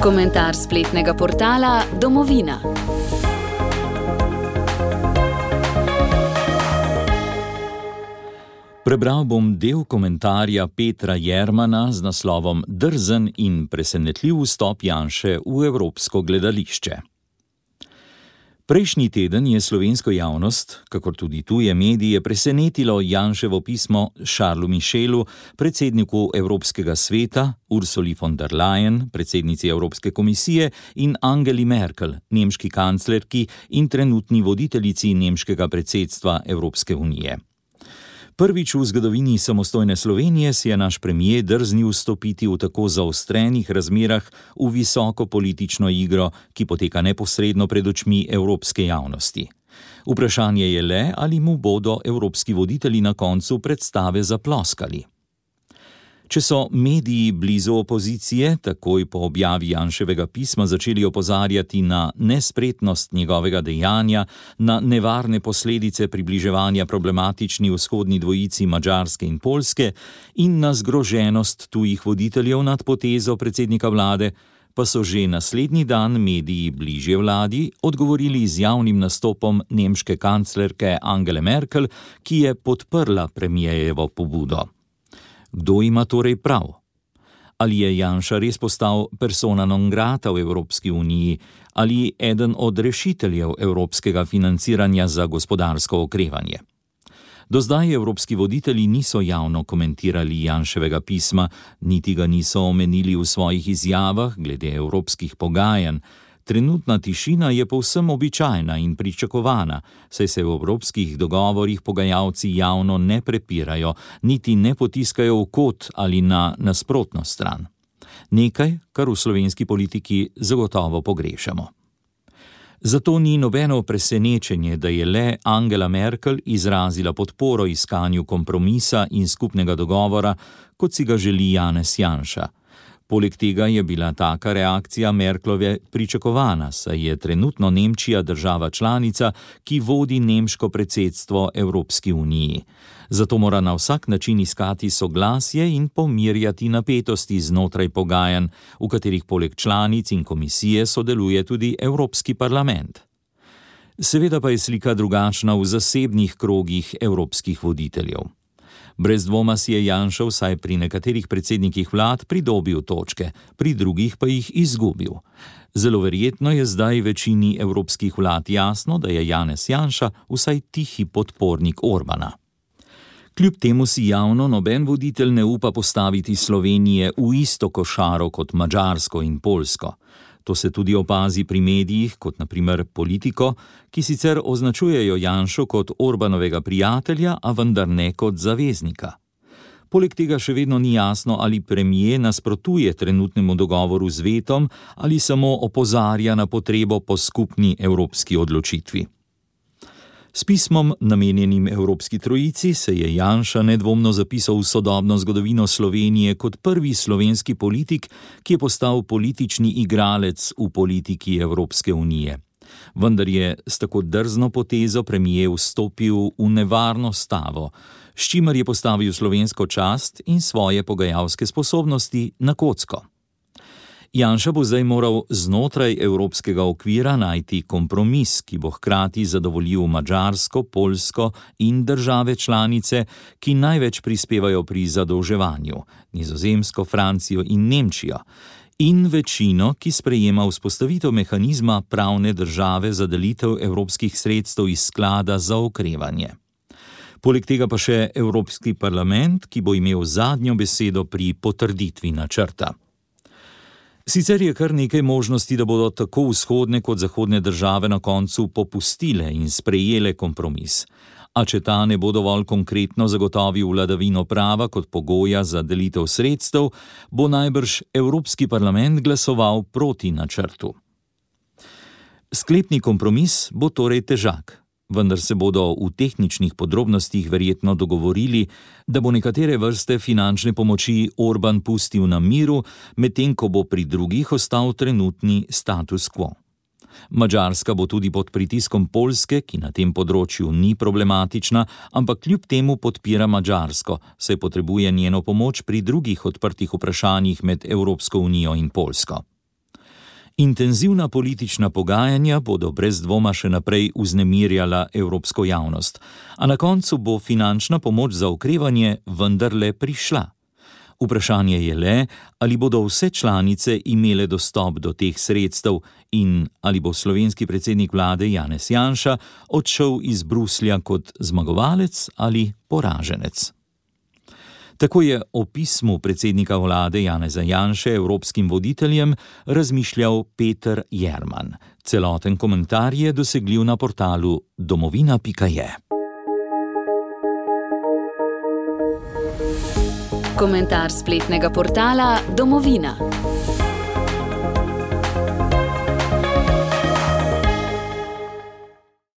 Komentar spletnega portala Domovina. Prebral bom del komentarja Petra Jermana z naslovom Drzen in presenetljiv vstop Janše v evropsko gledališče. Prejšnji teden je slovensko javnost, kakor tudi tuje medije, presenetilo Janševo pismo Charlesu Michelu, predsedniku Evropskega sveta, Ursuli von der Leyen, predsednici Evropske komisije, in Angeli Merkel, nemški kanclerki in trenutni voditeljici nemškega predsedstva Evropske unije. Prvič v zgodovini samostojne Slovenije si je naš premier drznil vstopiti v tako zaostrenih razmerah v visoko politično igro, ki poteka neposredno pred očmi evropske javnosti. Vprašanje je le, ali mu bodo evropski voditelji na koncu predstave zaploskali. Če so mediji blizu opozicije takoj po objavi Janševega pisma začeli opozarjati na nespretnost njegovega dejanja, na nevarne posledice približevanja problematični vzhodni dvojici Madžarske in Poljske in na zgroženost tujih voditeljev nad potezo predsednika vlade, pa so že naslednji dan mediji bližje vladi odgovorili z javnim nastopom nemške kanclerke Angele Merkel, ki je podprla premierjevo pobudo. Kdo ima torej prav? Ali je Janša res postal persona non grata v Evropski uniji ali eden od rešiteljev evropskega financiranja za gospodarsko okrevanje? Do zdaj evropski voditelji niso javno komentirali Janševega pisma, niti ga niso omenili v svojih izjavah glede evropskih pogajanj. Trenutna tišina je povsem običajna in pričakovana, saj se v evropskih dogovorih pogajalci javno ne prepirajo, niti ne potiskajo v kot ali na nasprotno stran. Nekaj, kar v slovenski politiki zagotovo pogrešamo. Zato ni nobeno presenečenje, da je le Angela Merkel izrazila podporo iskanju kompromisa in skupnega dogovora, kot si ga želi Janez Janša. Poleg tega je bila taka reakcija Merklove pričakovana, saj je trenutno Nemčija država članica, ki vodi nemško predsedstvo Evropski uniji. Zato mora na vsak način iskati soglasje in pomirjati napetosti znotraj pogajanj, v katerih poleg članic in komisije sodeluje tudi Evropski parlament. Seveda pa je slika drugačna v zasebnih krogih evropskih voditeljev. Brez dvoma si je Janša vsaj pri nekaterih predsednikih vlad pridobil točke, pri drugih pa jih izgubil. Zelo verjetno je zdaj večini evropskih vlad jasno, da je Janez Janša vsaj tihi podpornik Orbana. Kljub temu si javno noben voditelj ne upa postaviti Slovenije v isto košaro kot Madžarsko in Poljsko. To se tudi opazi pri medijih, kot na primer Politiko, ki sicer označujejo Janšo kot Orbanovega prijatelja, a vendar ne kot zaveznika. Poleg tega še vedno ni jasno, ali premier nasprotuje trenutnemu dogovoru z vetom ali samo opozarja na potrebo po skupni evropski odločitvi. S pismom, namenjenim Evropski trojici, se je Janša nedvomno zapisal v sodobno zgodovino Slovenije kot prvi slovenski politik, ki je postal politični igralec v politiki Evropske unije. Vendar je s tako drzno potezo premier vstopil v nevarno stavo, s čimer je postavil slovensko čast in svoje pogajalske sposobnosti na kocko. Janša bo zdaj moral znotraj evropskega okvira najti kompromis, ki bo hkrati zadovoljil Madžarsko, Poljsko in države članice, ki največ prispevajo pri zadolževanju, Nizozemsko, Francijo in Nemčijo, in večino, ki sprejema vzpostavitev mehanizma pravne države za delitev evropskih sredstev iz sklada za okrevanje. Poleg tega pa še Evropski parlament, ki bo imel zadnjo besedo pri potrditvi načrta. Sicer je kar nekaj možnosti, da bodo tako vzhodne kot zahodne države na koncu popustile in sprejele kompromis. A če ta ne bo dovolj konkretno zagotovil vladavino prava kot pogoja za delitev sredstev, bo najbrž Evropski parlament glasoval proti načrtu. Sklepni kompromis bo torej težak. Vendar se bodo v tehničnih podrobnostih verjetno dogovorili, da bo nekatere vrste finančne pomoči Orban pustil na miru, medtem ko bo pri drugih ostal trenutni status quo. Madžarska bo tudi pod pritiskom Poljske, ki na tem področju ni problematična, ampak kljub temu podpira Madžarsko, saj potrebuje njeno pomoč pri drugih odprtih vprašanjih med Evropsko unijo in Poljsko. Intenzivna politična pogajanja bodo brez dvoma še naprej vznemirjala evropsko javnost, a na koncu bo finančna pomoč za okrevanje vendarle prišla. Vprašanje je le, ali bodo vse članice imele dostop do teh sredstev in ali bo slovenski predsednik vlade Janez Janša odšel iz Bruslja kot zmagovalec ali poraženec. Tako je o pismu predsednika vlade Janeza Janše evropskim voditeljem razmišljal Peter Jerman. Celoten komentar je dosegljiv na portalu domovina.je. Komentar spletnega portala Domovina.